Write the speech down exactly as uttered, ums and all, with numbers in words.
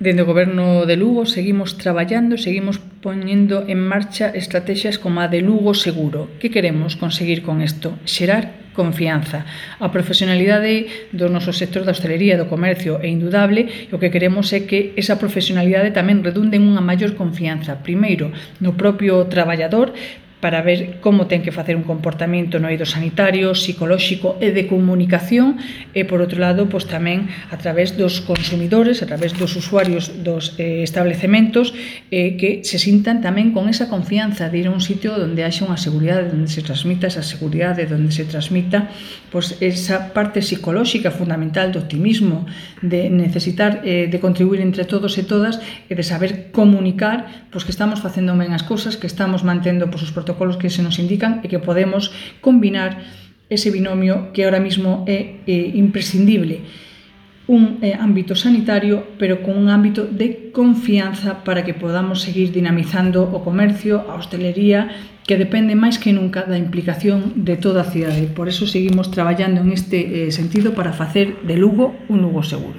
Dende o Goberno de Lugo seguimos traballando, seguimos poñendo en marcha estrategias como a de Lugo Seguro. Que queremos conseguir con isto? Xerar confianza. A profesionalidade do noso sector da hostelería e do comercio é indudable e o que queremos é que esa profesionalidade tamén redunde en unha maior confianza, primeiro no propio traballador, para ver como ten que facer un comportamento no eido sanitario, psicolóxico e de comunicación e, por outro lado, pois tamén a través dos consumidores, a través dos usuarios dos eh, establecementos eh, que se sintan tamén con esa confianza de ir a un sitio onde haxa unha seguridade, onde se transmita esa seguridade, onde se transmita pois, esa parte psicolóxica fundamental do optimismo, de necesitar eh, de contribuir entre todos e todas e de saber comunicar pois, que estamos facendo ben as cousas, que estamos mantendo pois, os protocolos que se nos indican e que podemos combinar ese binomio que ahora mismo é eh, imprescindible. Un eh, ámbito sanitario, pero con un ámbito de confianza para que podamos seguir dinamizando o comercio, a hostelería, que depende máis que nunca da implicación de toda a cidade. Por eso seguimos traballando en este eh, sentido para facer de Lugo un Lugo seguro.